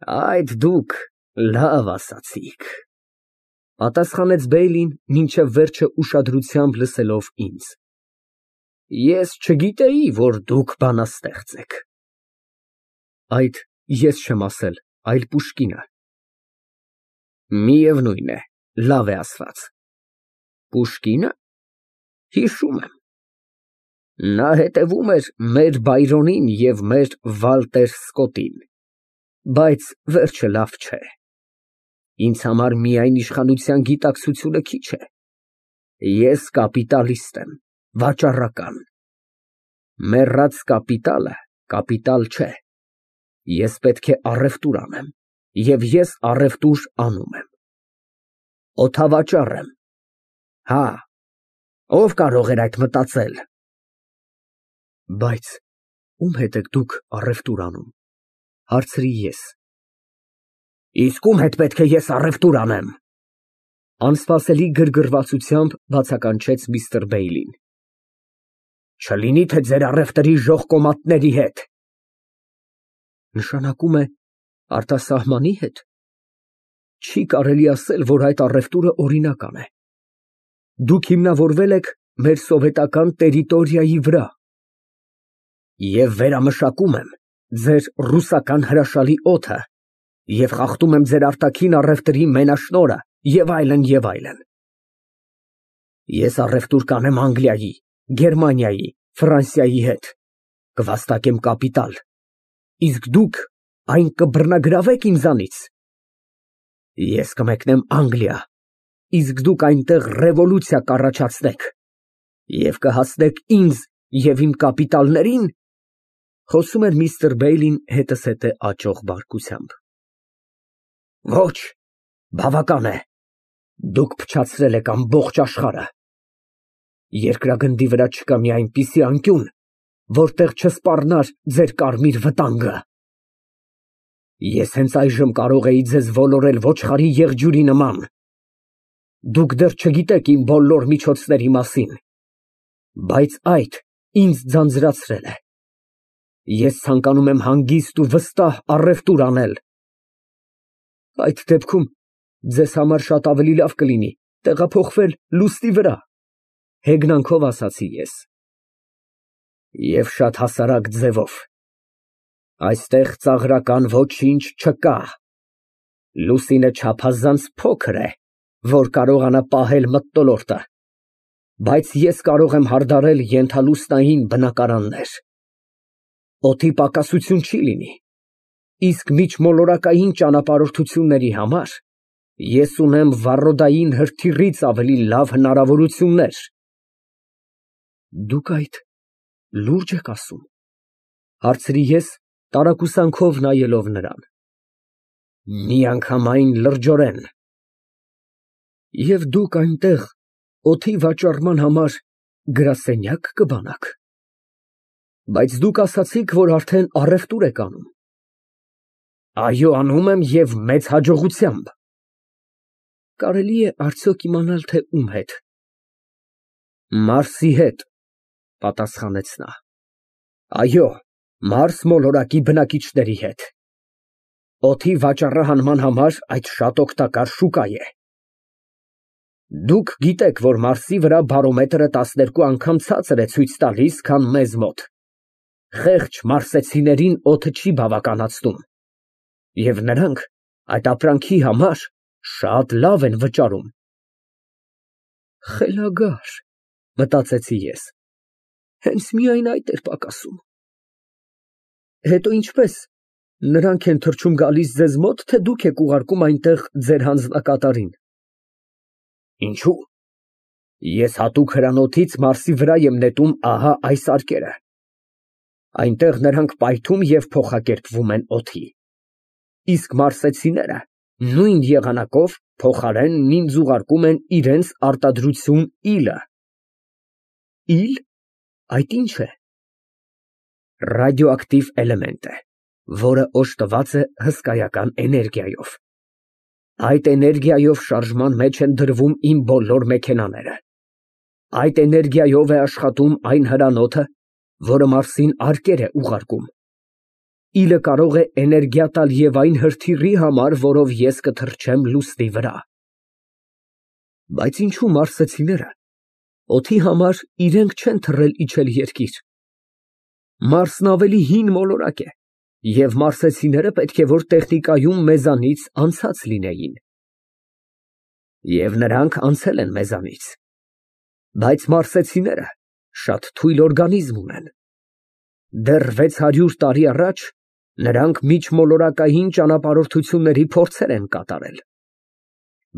Այդ դուք լավ ասացիք, պատասխանեց Բեյլին, մինչև վերջը ուշադրությամբ լսելով ինձ։ Ես չգիտեի, որ դուք բանաստեղծ եք։ Այդ ես չեմ ասել, այլ Պուշկինը։ Միևնույն է, լավ է ասված։ Պուշկի՞նը։ Հիշում եմ։ Նա հետևում էր մեր Բայրոնին և մեր Վալտեր Սկոտտին, բայց վերջը լավ չէ։ Ինձ համար միայն իշխանության գիտակցությունը քիչ է։ Ես կապիտալիստ եմ, վաճառական։ Մեռած կապիտալը կապիտալ չէ։ Ես պետք է առևտուր անեմ, և ես առևտուր անում եմ։ Օդավաճառ եմ։ Հա, ով կարող էր այդ մտածել։ Բայց ում հետ եք դուք առևտուր անում, հարցրի ես։ Իսկ ում հետ պետք է ես առևտուր անեմ։ Անսպասելի գրգռվածությամբ բացականչեց միստր Բեյլին։ Չլինի թե ձեր առևտրի ժողկոմատների հետ։ Նշանակում է արտասահմանի հետ։ Չի կարելի ասել, որ այդ առևտուրը օրինական է։ Դուք հիմնավորվել եք մեր սովետական տերիտորիայի վրա։ Եվ վերամշակում եմ ձեր ռուսական հրաշալի օդը, և խախտում եմ ձեր արտաքին առևտրի մենաշնորհը, և այլն, և այլն։ Ես առևտուր կանեմ Անգլիայի, Գերմանիայի, Ֆրանսիայի հետ, կվաստակեմ կապիտալ, իսկ դուք այն կբռնագրավեք ինձանից։ Ես կմեկնեմ Անգլիա, իսկ դուք այնտեղ ռևոլյուցիա կառաջացնեք և կհասնեք ինձ և իմ կապիտալներին, խոսում էր միստր Բեյլին հետզհետե աճող բարկությամբ։ Ոչ, բավական է, դուք փչացրել եք ամբողջ աշխարհը։ Երկրագնդի վրա չկա մի այնպիսի անկյուն, որտեղ չսպառնար ձեր կարմիր վտանգը։ Ես հենց այժմ կարող էի ձեզ ոլորել ոչխարի եղջյուրի նման։ Դուք դեռ չգիտեք իմ բոլոր միջոցների մասին, բայց այդ ինձ ձանձրացրել է։ Ես ցանկանում եմ հանգիստ ու վստահ առևտուր անել։ Այդ դեպքում ձեզ համար շատ ավելի լավ կլինի տեղափոխվել լուստի վրա, հեգնանքով ասացի ես։ Եվ շատ հասարակ ձևով։ Այստեղ ծաղրական ոչինչ չկա։ Լուսինը չափազանց փոքր է, որ կարողանա պահել մթնոլորտը, բայց ես կարող եմ հարդարել ենթալուսնային բնակարաններ։ Օդի պակասություն չի լինի, իսկ միջմոլորակային ճանապարհորդությունների համար ես ունեմ վառոդային հրթիռից ավելի լավ հնարավորություններ։ Դուք այդ լուրջ եք ասում, հարցրի ես, տարակուսանքով նայելով նրան։ Միանգամայն լրջորեն։ Եվ դուք այնտեղ օդի վաճառման համար գրասենյակ կբանաք։ Բայց դուք ասացիք, որ արդեն առևտուր եք անում։ Այո, անում եմ և մեծ հաջողությամբ։ Կարելի է արդյոք իմանալ, թե ում հետ։ Մարսի հետ, պատասխանեց նա։ Այո, Մարս մոլորակի բնակիչների հետ։ Օդի վաճառահանման համար այդ շատ օգտակար շուկա է։ Դուք գիտեք, որ Մարսի վրա բարոմետրը 12 անգամ ցածր է ցույց տալիս, քան մեզ մոտ։ Խեղճ մարսեցիներին օդը չի բավականացնում, և նրանք այդ ապրանքի համար շատ լավ են վճարում։ Խելագար, մտածեցի ես, հենց միայն այդ էր պակասում։ Հետո ինչպես, նրանք են թռչում գալիս ձեզ մոտ, թե դուք եք ուղարկում այնտեղ ձեր հանձնակատարին։ Ինչո՞ւ։ Ես հատուկ հրանոթից Մարսի վրա եմ նետում ահա այս արկերը։ Այնտեղ նրանք պայթում և փոխակերպվում են օդի։ Իսկ մարսեցիները նույն եղանակով փոխարենն ինձ ուղարկում են իրենց արտադրություն իլը։ Իլ, այդ ինչ է։ Ռադիոակտիվ էլեմենտ է, որը օժտված է հսկայական էներգիայով։ Այդ էներգիայով շարժման մեջ են դրվում իմ բոլոր մեքենաները։ Այդ էներգիայով է աշխատում այն հրանոթը, որը Մարսին արկեր է ուղարկում։ իլը կարող է էներգիա տալ և այն հրթիռի համար, որով ես կթռչեմ լուսնի վրա։ Բայց ինչու մարսեցիները օդի համար իրենք չեն թռել իջել երկիր։ Մարսն ավելի հին մոլորակ է, և մարսեցիները պետք է որ տեխնիկայում մեզանից անցած լինեին։ Եվ նրանք անցել են մեզանից։ Բայց մարսեցիները շատ թույլ օրգանիզմ ունեն։ Դեռ 600 տարի առաջ նրանք միջմոլորակային ճանապարհորդությունների փորձեր են կատարել։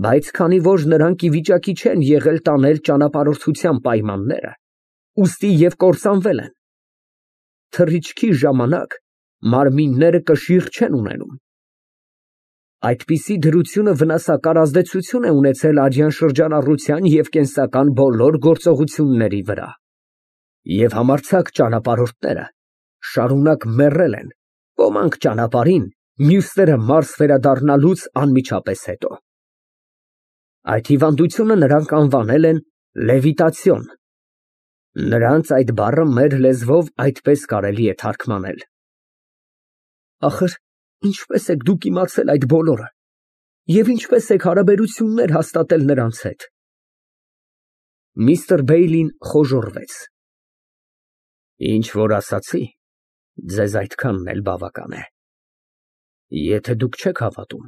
Բայց քանի որ նրանք ի վիճակի չեն եղել տանել ճանապարհորդության պայմանները, ուստի և կործանվել են։ Թռիչքի ժամանակ մարմինները կշիռ չեն ունենում։ Այդպիսի դրությունը վնասակար ազդեցություն է ունեցել արյան շրջանառության և կենսական բոլոր գործողությունների վրա։ Եվ համարձակ ճանապարհորդները շարունակ մեռել են, ոմանք ճանապարհին, մյուսները մարս վերադառնալուց անմիջապես հետո։ Այդ հիվանդությունը նրանք անվանել են լևիտացիոն։ Նրանց այդ բառը մեր լեզվով այդպես կարելի է թարգմանել։ Ախր ինչպես եք դուք իմացել այդ բոլորը, և ինչպես եք հարաբերություններ հաստատել նրանց հետ։ Միստր Բեյլին խոժոռվեց։ Ինչ որ ասացի, ձեզ այդքանն էլ բավական է։ Եթե դուք չեք հավատում,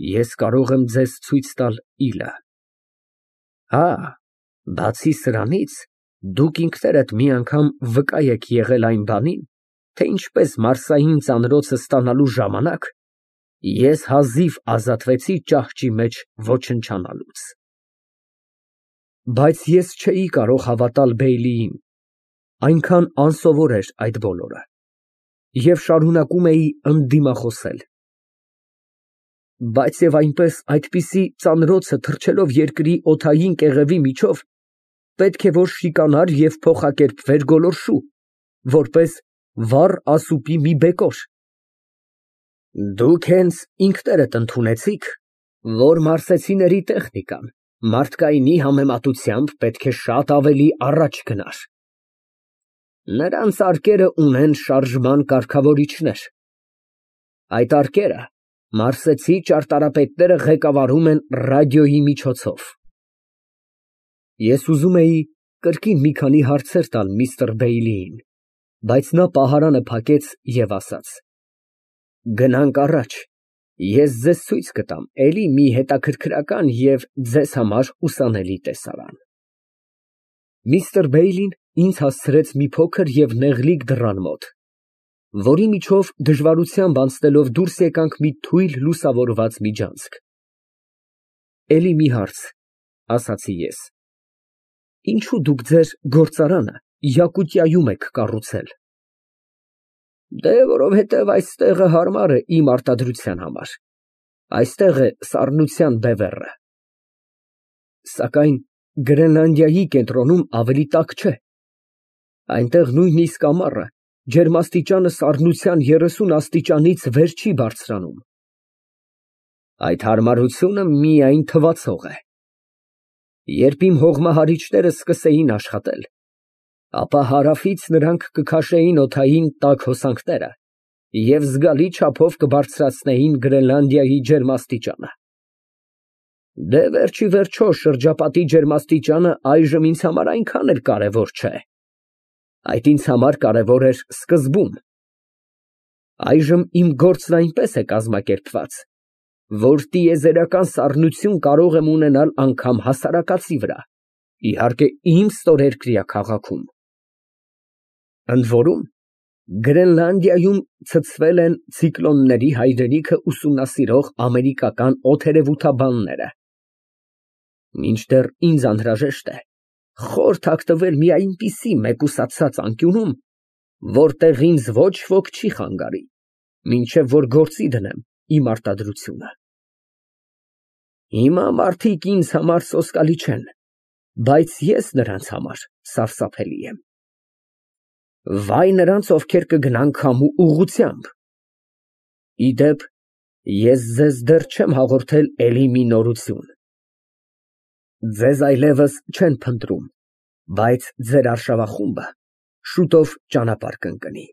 ես կարող եմ ձեզ ցույց տալ իլը։ Հա, բացի սրանից, դուք ինքներդ մի անգամ վկա եք եղել այն բանին, թե ինչպես մարսային ծանրոցը ստանալու ժամանակ ես հազիվ ազատվեցի ճահճի մեջ ոչնչանալուց։ Բայց ես չէի կարող հավատալ Բեյլիին, այնքան անսովոր էր այդ բոլորը, և շարունակում էի ընդդիմախոսել։ Բայց և այնպես այդպիսի ծանրոցը թռչելով երկրի օդային կեղևի միջով, պետք է որ շիկանար և փոխակերպվեր գոլորշու, որպես վառ ասուպի մի բեկոր։ Դուք հենց ինքներդ ընդունեցիք, որ մարսեցիների տեխնիկան մարդկայինի համեմատությամբ պետք է շատ ավելի առաջ գնար։ Նրանց արկերը ունեն շարժման կարգավորիչներ։ Այդ արկերը մարսեցի ճարտարապետները ղեկավարում են ռադիոյի միջոցով։ Ես ուզում էի կրկին մի քանի հարցեր տալ միստր Բեյլիին, բայց նա պահարանը փակեց և ասաց. Գնանք առաջ, ես ձեզ ցույց կտամ էլի մի հետաքրքրական և ձեզ համար ուսանելի տեսարան։ Միստր Բեյլին ինձ հասցրեց մի փոքր և նեղլիկ դռան մոտ, որի միջով դժվարությամբ անցնելով դուրս եկանք մի թույլ լուսավորված միջանցք։ Էլի մի հարց, ասացի ես. Ինչո՞ւ դուք ձեր գործարանը Յակուտիայում եք կառուցել։ Դե որովհետև այս տեղը հարմար է իմ արտադրության համար, այստեղ է սառնության բևեռը։ Սակայն Գրենլանդիայի կենտրոնում ավելի տաք չէ։ Այնտեղ նույնիսկ ամառը ջերմաստիճանը սառնության 30 աստիճանից վեր չի բարձրանում։ Այդ հարմարությունը միայն թվացող է։ Երբ իմ հողմահարիչները սկսեին աշխատել, ապա հարավից նրանք կքաշեին օդային տաք հոսանքները և զգալի չափով կբարձրացնեին Գրենլանդիայի ջերմաստիճանը։ Դե վերջիվերջո շրջապատի ջերմաստիճանը այժմ ինձ համար այնքան էլ կարևոր չէ։ Այդ ինձ համար կարևոր էր սկզբում։ Այժմ իմ գործն այնպես է կազմակերպված, որ տիեզերական սառնություն կարող եմ ունենալ անգամ հասարակածի վրա, իհարկե իմ ստորերկրյա քաղաքում։ Ընդ որում, Գրենլանդիայում ցցվել են ցիկլոնների հայրենիքը ուսումնասիրող ամերիկական օդերևութաբանները։ Մինչդեռ ինձ անհրաժեշտ է խոր թաքնվել մի այնպիսի մեկուսացած անկյունում, որտեղ ինձ ոչ ոք չի խանգարի, մինչև որ գործի դնեմ իմ արտադրությունը։ Հիմա մարդիկ ինձ համար սոսկալի չեն, բայց ես նրանց համար սարսափելի եմ։ Վայ նրանց, ովքեր կգնան քամու ուղղությամբ։ Ի դեպ, ես ձեզ դեռ չեմ հաղորդել էլի մի նորություն։ Ձեզ այլևս չեն փնտրում, բայց ձեր արշավախումբը շուտով ճանապարհ կընկնի,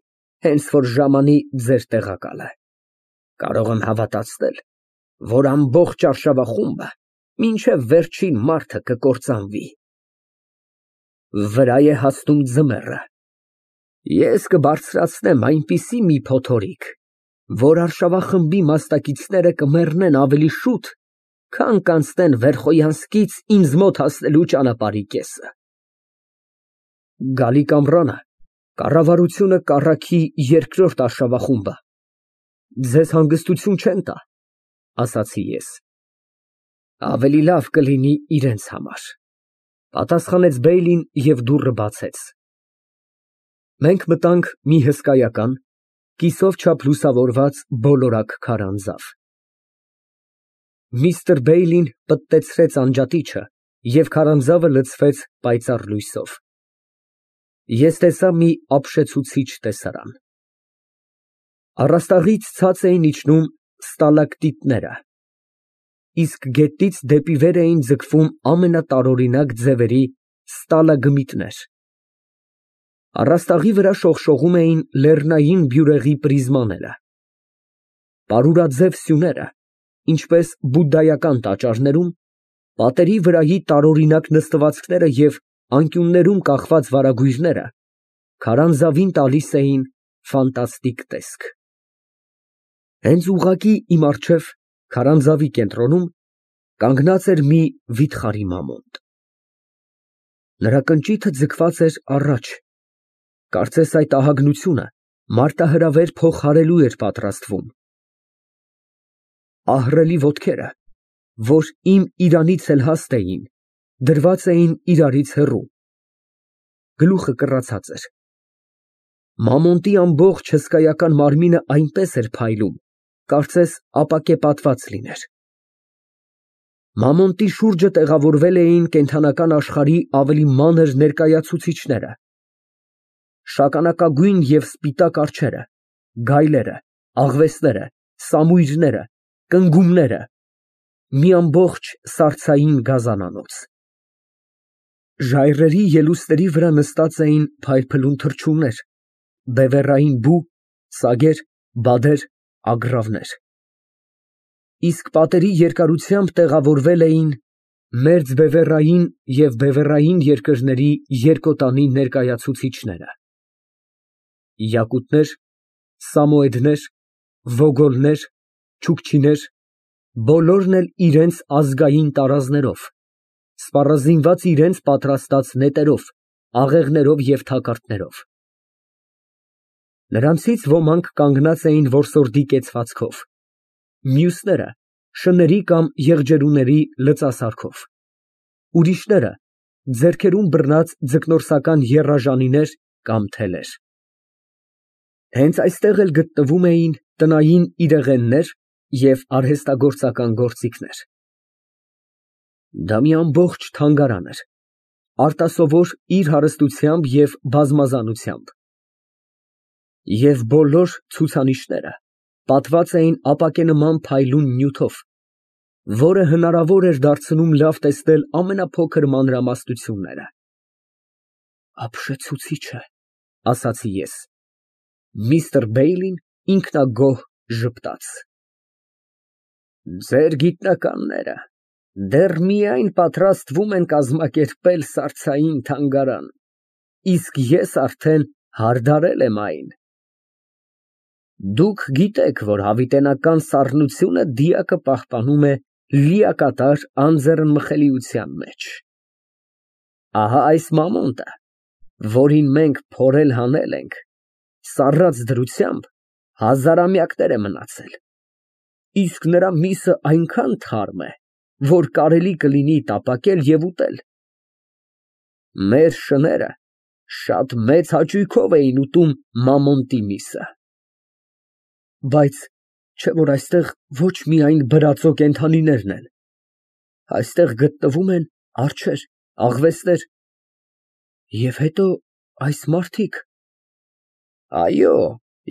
հենց որ ժամանի ձեր տեղակալը։ Կարող եմ հավատացնել, որ ամբողջ արշավախումբը մինչև վերջին մարդը կկործանվի։ Վրա է հասնում ձմեռը։ Ես կբարձրացնեմ այնպիսի մի փոթորիկ, որ արշավախմբի մասնակիցները կմեռնեն ավելի շուտ, քան կանցնեն Վերխոյանսկից ինձ մոտ հասնելու ճանապարհի կեսը։ Գալի կամրանը կառավարությունը կառաքի երկրորդ արշավախումբը։ Ձեզ հանգստություն չեն տա, ասացի ես։ Ավելի լավ կլինի իրենց համար, պատասխանեց Բեյլին և դուռը բացեց։ Մենք մտանք մի հսկայական, կիսով չափ լուսավորված բոլորակ քարանձավ։ Միստր Բեյլին պտտեցրեց անջատիչը և քարանձավը լցվեց պայծառ լույսով։ Ես տեսա մի ապշեցուցիչ տեսարան։ Առաստաղից ցած էին իջնում ստալակտիտները, իսկ գետից դեպի վեր էին ձգվում ամենատարօրինակ ձևերի ստալագմիտներ։ Առաստաղի վրա շողշողում էին լեռնային բյուրեղի պրիզմաները։ Պարուրաձև սյուները, ինչպես բուդդայական տաճարներում, պատերի վրայի տարօրինակ նստվածքները և անկյուններում կախված վարագույրները քարանձավին տալիս էին ֆանտաստիկ տեսք։ Հենց ուղղակի իմ առջև, քարանձավի կենտրոնում, կանգնած էր մի վիթխարի մամոնտ։ Նրա կնճիթը ձգված էր առաջ, կարծես այդ ահագնությունը մարտահրավեր փոխարելու էր պատրաստվում։ Ահռելի ոտքերը, որ իմ իրանից էլ հաստ էին, դրված էին իրարից հեռու։ Գլուխը կռացած էր։ Մամոնտի ամբողջ հսկայական մարմինը այնպես էր փայլում, կարծես ապակեպատված լիներ։ Մամոնտի շուրջը տեղավորվել էին կենդանական աշխարհի ավելի մանր ներկայացուցիչները։ Շագանակագույն և սպիտակ արջերը, գայլերը, աղվեսները, սամույրները, կնգուղները, մի ամբողջ սարսափելի գազանանոց։ Ժայռերի ելուստերի վրա նստած էին փայլփլուն թռչուններ, բևեռային բու, սագեր, բադեր, ագռավներ։ Իսկ պատերի երկարությամբ տեղավորվել էին մերձբևեռային և բևեռային երկրների երկոտանի ներկայացուցիչները։ Յակուտներ, սամոեդներ, վոգոլներ, չուքչիներ, բոլորն էլ իրենց ազգային տարազներով, սպառազինված իրենց պատրաստած նետերով, աղեղներով և թակարդներով։ Նրանցից ոմանք կանգնած էին որսորդի կեցվածքով, մյուսները շների կամ եղջերուների լծասարքով, ուրիշները ձեռքերում բռնած ձկնորսական եռաժանիներ կամ թելեր։ Հենց այստեղ էլ գտնվում էին տնային իրեղեններ և արհեստագործական գործիքներ։ Դա մի ամբողջ թանգարան էր, արտասովոր իր հարստությամբ և բազմազանությամբ։ Եվ բոլոր ցուցանիշները պատված էին ապակենման փայլուն նյութով, որը հնարավոր էր դարձնում լավ տեսնել ամենափոքր մանրամասնությունները։ Ապշեցուցիչ է, ասացի ես։ Միստր Բեյլին ինքնագոհ ժպտաց։ Ձեր գիտնականները դեռ միայն պատրաստվում են կազմակերպել սարսափային թանգարան, իսկ ես արդեն հարդարել եմ այն։ Դուք գիտեք, որ հավիտենական սառնությունը դիակը պահպանում է լիակատար անձեռնմխելիության մեջ։ Ահա այս մամոնտը, որին մենք փորել հանել ենք, սառած դրությամբ հազարամյակներ է մնացել, իսկ նրա միսը այնքան թարմ է, որ կարելի կլինի տապակել և ուտել։ Մեր շները շատ մեծ հաճույքով էին ուտում մամոնտի միսը։ Բայց չէ՞ որ այստեղ ոչ միայն բրածո կենդանիներն են, այստեղ գտնվում են արջեր, աղվեսներ, և հետո այս մարդիկ։ Այո,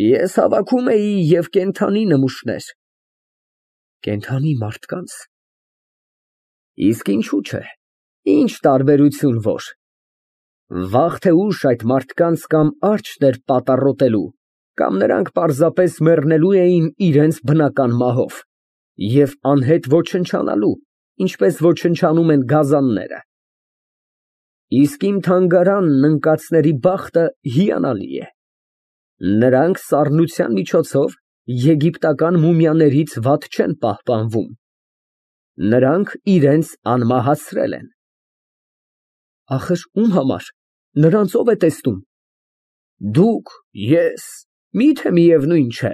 ես հավաքում էի և կենդանի նմուշներ։ Կենդանի մարդկանց։ Իսկ ինչու՞ չէ, ինչ տարբերություն որ։ Վաղ թե ուշ այդ մարդկանց կամ արջն էր պատառոտելու, կամ նրանք պարզապես մեռնելու էին իրենց բնական մահով և անհետ ոչնչանալու, ինչպես ոչնչանում են գազանները։ Իսկ իմ թանգարանն ընկածների բախտը հիանալի է։ Նրանք սառնության միջոցով եգիպտական մումիաներից վատ չեն պահպանվում։ Նրանք իրենց անմահացրել են։ Ախր ում համար, նրանց ով է տեսնում։ Դուք, ես, միթե միևնույն չէ։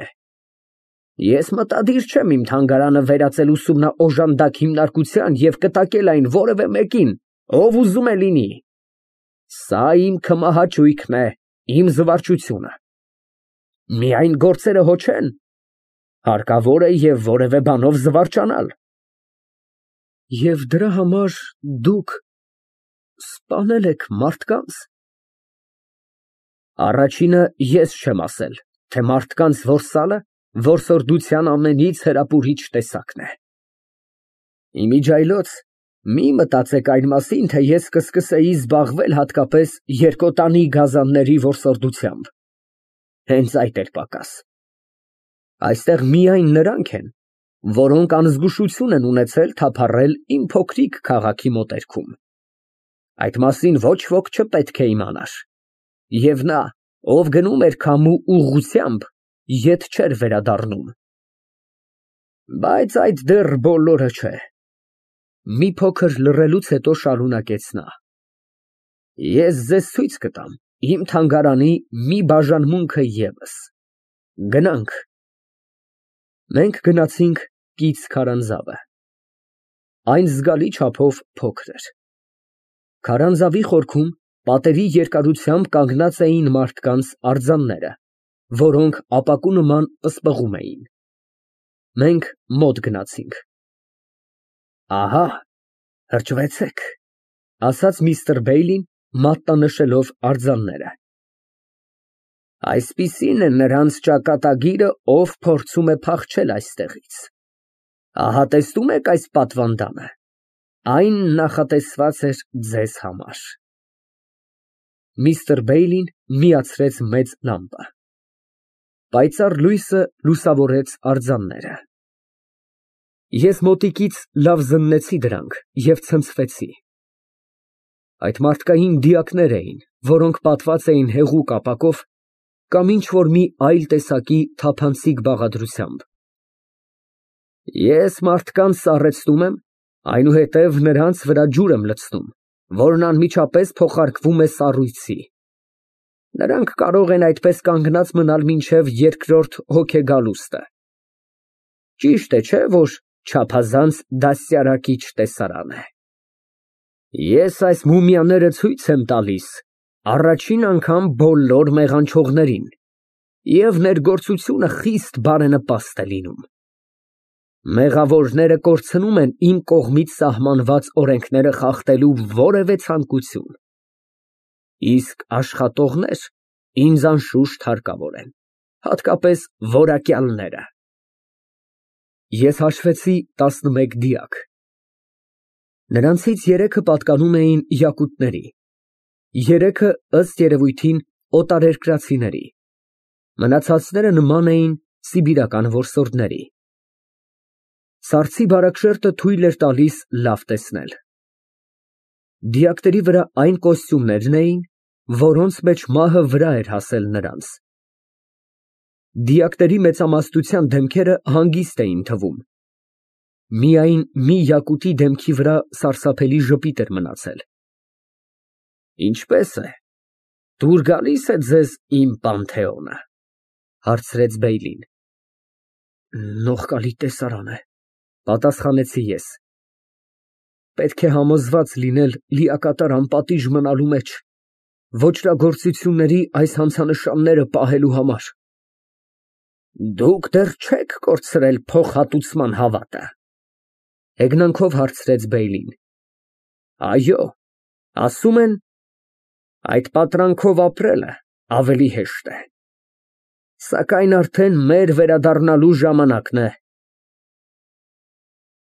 Ես մտադիր չեմ իմ թանգարանը վերածել ուսումնաօժանդակ հիմնարկության և կտակել այն որևէ մեկին, ով ուզում է լինի։ Սա իմ քմահաճույքն է, իմ զվարճությունը։ Միայն գործերը հո չեն, հարկավոր է և որևէ բանով զվարճանալ։ Եվ դրա համար դուք սպանել եք մարդկանց։ Առաջինը ես չեմ ասել, թե մարդկանց որսալը որսորդության ամենից հրապուրիչ տեսակն է։ Իմիջիայլոց մի մտածեք այն մասին, թե ես կսկսեի զբաղվել հատկապես երկոտանի գազանների որսորդությամբ։ Հենց այդ էր պակաս։ Այստեղ միայն նրանք են, որոնք անզգուշություն են ունեցել թափառել իմ փոքրիկ քաղաքի մոտերքում։ Այդ մասին ոչ ոք չպետք է իմանար։ Եվ նա, ով գնում էր քամու ուղղությամբ, ետ չէր վերադառնում։ Բայց այդ դեռ բոլորը չէ։ Մի փոքր լռելուց հետո շարունակեց նա. Ես ձեզ ցույց կտամ իմ թանգարանի մի բաժանմունքը ևս։ Գնանք։ Մենք գնացինք կից քարանձավը։ Այն զգալի չափով փոքր էր։ Քարանձավի խորքում պատերի երկարությամբ կանգնած էին մարդկանց արձանները, որոնք ապակու նման պսպղում էին։ Մենք մոտ գնացինք։ Ահա, հրճվեցեք, ասաց միստր Բեյլին, մատնանշելով արձանները։ Այսպիսին է նրանց ճակատագիրը, ով փորձում է փախչել այստեղից։ Ահա տեսնում եք այս պատվանդանը, այն նախատեսված էր ձեզ համար։ Միստր Բեյլին միացրեց մեծ լամպը։ Պայծառ լույսը լուսավորեց արձանները։ Ես մոտիկից լավ զննեցի դրանք և ցնցվեցի։ Այդ մարդկային դիակներ էին, որոնք պատված էին հեղուկ ապակով կամ ինչ-որ մի այլ տեսակի թափանցիկ բաղադրությամբ։ Ես մարդկանց սառեցնում եմ, այնուհետև նրանց վրա ջուր եմ լցնում, որն անմիջապես փոխարկվում է սառույցի։ Նրանք կարող են այդպես կանգնած մնալ մինչև երկրորդ հոգեգալուստը։ Ճիշտ է, չէ՞, որ չափազանց դաստիարակիչ տեսարան է։ Ես այս մումիաները ցույց եմ տալիս առաջին անգամ բոլոր մեղանչողներին, և ներգործությունը խիստ բարենպաստ է լինում։ Մեղավորները կորցնում են իմ կողմից սահմանված օրենքները խախտելու որևէ ցանկություն։ Իսկ աշխատողներ ինձ անշուշտ հարկավոր են, հատկապես որակյալները։ Ես հաշվեցի 11 դիակ։ Նրանցից 3-ը պատկանում էին յակուտների, 3-ը ըստ երևույթին օտարերկրացիների, մնացածները նման էին սիբիրական որսորդների։ Սառցի բարակ թույլ էր տալիս լավ տեսնել։ Դիակների վրա այն կոստյումներն էին, որոնց մեջ մահը վրա էր հասել նրանց։ Դիակների մեծամասնության դեմքերը հանգիստ էին թվում։ Միայն մի յակուտի դեմքի վրա սարսափելի ժպիտ էր մնացել։ Ինչպե՞ս է, դուր գալի՞ս է ձեզ իմ Պանթեոնը, հարցրեց Բեյլին։ Նողկալի տեսարան է, պատասխանեցի ես։ Պետք է համոզված լինել լիակատար անպատիժ մնալու մեջ, ոճրագործությունների այս հանցանշանները պահելու համար։ Դուք դեռ չեք կորցրել փոխհատուցման հավատը, հեգնանքով հարցրեց Բեյլին։ Այո, ասում են, այդ պատրանքով ապրելը ավելի հեշտ է։ Սակայն արդեն մեր վերադառնալու ժամանակն է։